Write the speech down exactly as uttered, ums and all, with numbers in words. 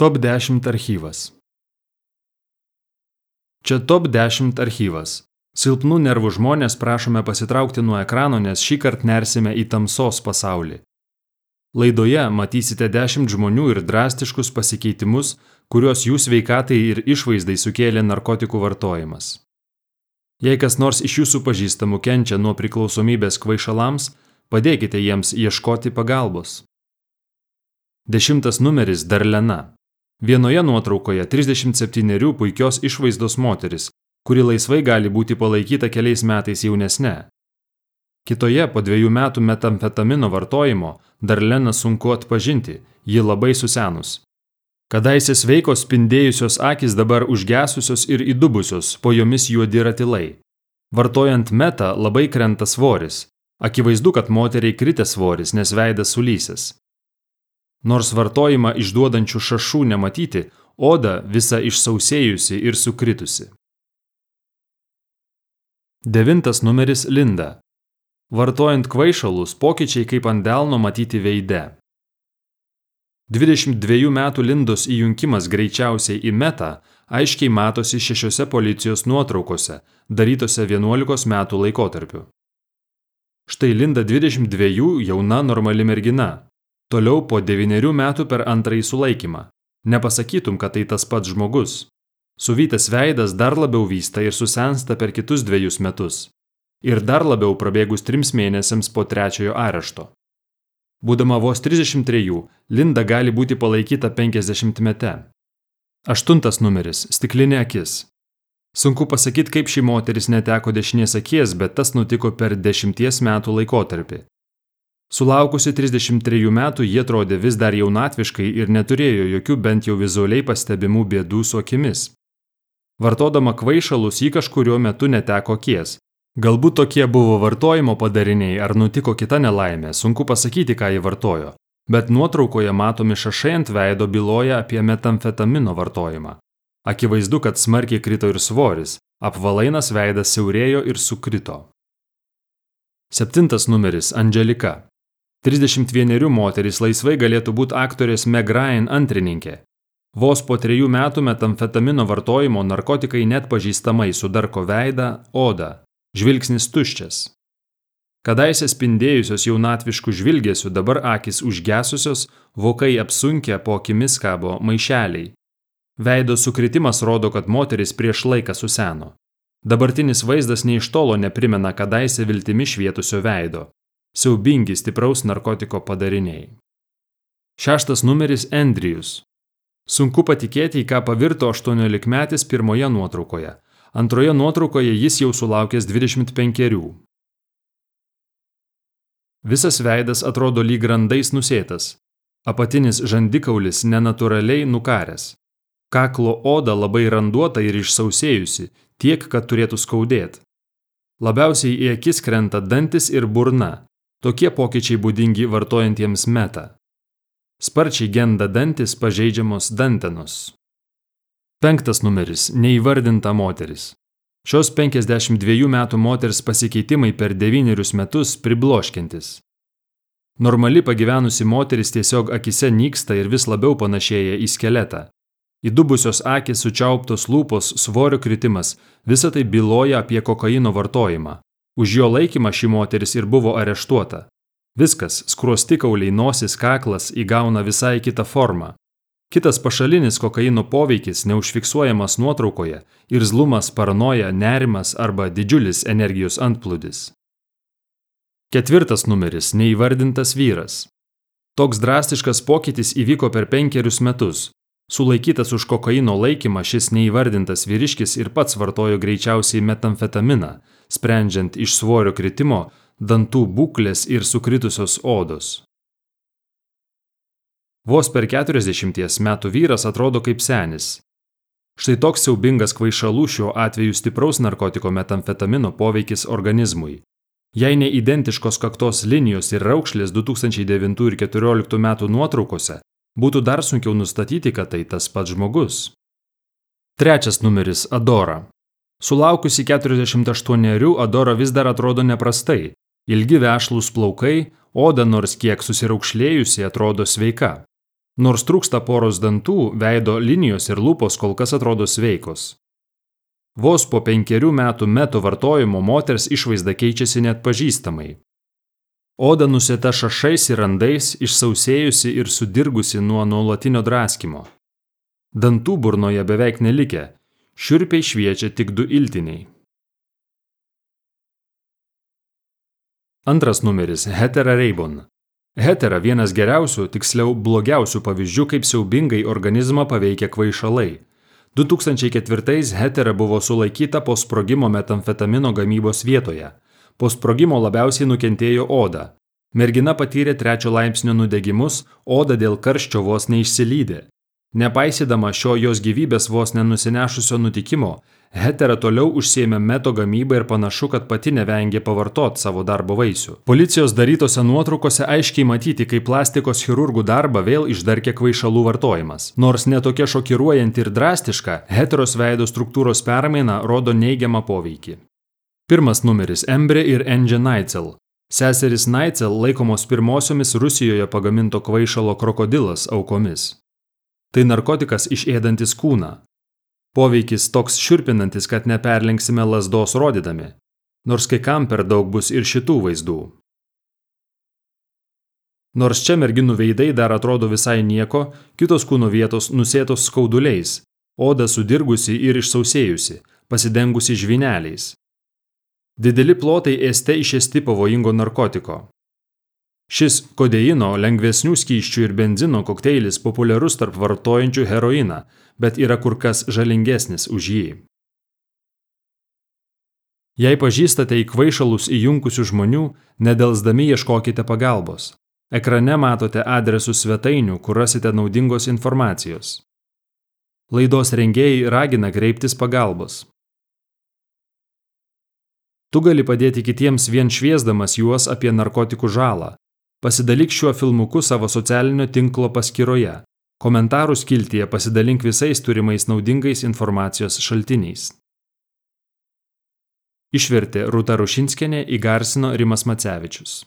Top dešimt archyvas. Čia Top dešimt archyvas. Silpnų nervų žmonės prašome pasitraukti nuo ekrano, nes šį kartą nersime į tamsos pasaulį. Laidoje matysite dešimt žmonių ir drastiškus pasikeitimus, kuriuos jų sveikatai ir išvaizdai sukėlė narkotikų vartojimas. Jei kas nors iš jūsų pažįstamų kenčia nuo priklausomybės kvaišalams, padėkite jiems ieškoti pagalbos. Dešimtas numeris Darlena. Vienoje nuotraukoje trisdešimt septynerių puikios išvaizdos moteris, kuri laisvai gali būti palaikyta keliais metais jaunesne. Kitoje po dviejų metų metamfetamino vartojimo Darleną sunku atpažinti, ji labai susenus. Kadaise sveikos spindėjusios akys dabar užgesusios ir įdubusios, po jomis juodi ratilai. Vartojant metą labai krenta svoris. Akivaizdu, kad moteriai kritė svoris, nes veidas sulysęs. Nors vartojimą išduodančių šašų nematyti, oda visa išsausėjusi ir sukritusi. Devintas numeris Linda. Vartojant kvaišalus, pokyčiai kaip ant delno matyti veide. dvidešimt dviejų metų Lindos įjungimas greičiausiai į metą aiškiai matosi šešiose policijos nuotraukose, darytose vienuolikos metų laikotarpiu. Štai Linda dvidešimt dviejų jauna normali mergina. Toliau po devynerių metų per antrąjį sulaikymą. Nepasakytum, kad tai tas pats žmogus. Suvytas veidas dar labiau vysta ir susensta per kitus dviejus metus. Ir dar labiau prabėgus trims mėnesiams po trečiojo arešto. Būdama vos trisdešimt trejų, Linda gali būti palaikyta penkiasdešimtmete. Aštuntas numeris Stiklinė akis. Sunku pasakyti, kaip ši moteris neteko dešinės akies, bet tas nutiko per dešimties metų laikotarpį. Sulaukusi trisdešimt trejų metų, jie atrodė vis dar jaunatviškai ir neturėjo jokių bent jau vizualiai pastebimų bėdų su akimis. Vartodama kvaišalus ji kažkuriuo metu neteko akies. Galbūt tokie buvo vartojimo padariniai ar nutiko kita nelaimė, sunku pasakyti, ką ji vartojo, bet nuotraukoje matomi šašai ant veido byloja apie metamfetamino vartojimą. Akivaizdu, kad smarkiai krito ir svoris, apvalainas veidas siaurėjo ir sukrito. Septintas numeris Angelika. trisdešimt vienerių moteris laisvai galėtų būti aktorės Meg Ryan antrininkė. Vos po trejų metų metamfetamino vartojimo narkotikai net pažįstamai sudarko veidą, odą. Žvilgsnis tuščias. Kadaise spindėjusios jaunatviškų žvilgesių dabar akys užgesusios, vokai apsunkę, po akimis kabo maišeliai. Veido sukritimas rodo, kad moteris prieš laiką suseno. Dabartinis vaizdas nei iš tolo neprimena kadaise viltimi švietusio veido. Siaubingi stipraus narkotiko padariniai. Šeštas numeris Andrejus. Sunku patikėti, į ką pavirto aštuoniolikmetis pirmoje nuotraukoje. Antroje nuotraukoje jis jau sulaukęs dvidešimt penkerių. Visas veidas atrodo lyg randais nusėtas. Apatinis žandikaulis nenatūraliai nukaręs. Kaklo oda labai randuota ir išsausėjusi, tiek, kad turėtų skaudėti. Labiausiai į akis krenta dantis ir burna. Tokie pokyčiai būdingi vartojantiems metą. Sparčiai genda dantis, pažeidžiamos dantenos. Penktas numeris Neįvardinta moteris. Šios penkiasdešimt dviejų metų moters pasikeitimai per devynerius metus pribloškiantis. Normali pagyvenusi moteris tiesiog akise nyksta ir vis labiau panašėja į skeletą. Įdubusios akys, sučiauptos lūpos, svorio kritimas – visa tai byloja apie kokaino vartojimą. Už jo laikymą ši moteris ir buvo areštuota. Viskas – skruostikauliai, nosis, kaklas – įgauna visai kitą formą. Kitas pašalinis kokaino poveikis neužfiksuojamas nuotraukoje – irzlumas, paranoja, nerimas arba didžiulis energijos antplūdis. Ketvirtas numeris Neįvardintas vyras. Toks drastiškas pokytis įvyko per penkerius metus. Sulaikytas už kokaino laikymą šis neįvardintas vyriškis ir pats vartojo greičiausiai metamfetaminą, sprendžiant iš svorio kritimo, dantų būklės ir sukritusios odos. Vos per keturiasdešimties metų vyras atrodo kaip senis. Štai toks siaubingas kvaišalų šiuo atveju stipraus narkotiko metamfetamino poveikis organizmui. Jei ne identiškos kaktos linijos ir raukšlės du tūkstančiai devintų ir keturioliktų metų nuotraukose, būtų dar sunkiau nustatyti, kad tai tas pats žmogus. Trečias numeris Adora. Sulaukusi keturiasdešimt aštuonerių, Adora vis dar atrodo neprastai. Ilgi vešlūs plaukai, oda nors kiek susiraukšlėjusi atrodo sveika. Nors trūksta poros dantų, veido linijos ir lūpos kol kas atrodo sveikos. Vos po penkerių metų meto vartojimo moters išvaizda keičiasi net pažįstamai. Oda nusėta šašais ir randais, išsausėjusi ir sudirgusi nuo nuolatinio draskimo. Dantų burnoje beveik nelikę, šiurpiai šviečia tik du iltiniai. Antras numeris – Hetera Reibon. Hetera vienas geriausių, tiksliau blogiausių pavyzdžių, kaip siaubingai organizmą paveikia kvaišalai. du tūkstančiai ketvirtais Hetera buvo sulaikyta po sprogimo metamfetamino gamybos vietoje. Po sprogimo labiausiai nukentėjo oda. Mergina patyrė trečio laipsnio nudegimus, oda dėl karščio vos neišsilydė. Nepaisydama šio jos gyvybės vos nenusinešusio nutikimo, Hetera toliau užsiėmė meto gamybą ir panašu, kad pati nevengė pavartot savo darbo vaisių. Policijos darytose nuotraukose aiškiai matyti, kaip plastikos chirurgų darbą vėl išdarkė kvaišalų vartojimas. Nors netokia šokiruojanti ir drastiška, Heteros veido struktūros permaina rodo neigiamą poveikį. Pirmas numeris – Embre ir Enge Neitzel. Seserys Neitzel laikomos pirmosiomis Rusijoje pagaminto kvaišalo krokodilas aukomis. Tai narkotikas išėdantis kūną. Poveikis toks šiurpinantis, kad neperlenksime lazdos rodydami, nors kai kam per daug bus ir šitų vaizdų. Nors čia merginų veidai dar atrodo visai nieko, kitos kūno vietos nusėtos skauduliais, oda sudirgusi ir išsausėjusi, pasidengusi žvyneliais. Dideli plotai ėste išėsti pavojingo narkotiko. Šis kodeino, lengvesnių skysčių ir benzino kokteilis populiarus tarp vartojančių heroiną, bet yra kur kas žalingesnis už jį. Jei pažįstate į kvaišalus įjunkusių žmonių, nedelsdami ieškokite pagalbos. Ekrane matote adresus svetainių, kur rasite naudingos informacijos. Laidos rengėjai ragina kreiptis pagalbos. Tu gali padėti kitiems vien šviesdamas juos apie narkotikų žalą. Pasidalyk šiuo filmuku savo socialinio tinklo paskyroje. Komentarų skiltyje pasidalink visais turimais naudingais informacijos šaltiniais. Išvertė Rūta Rušinskienė, įgarsino Rimas Macevičius.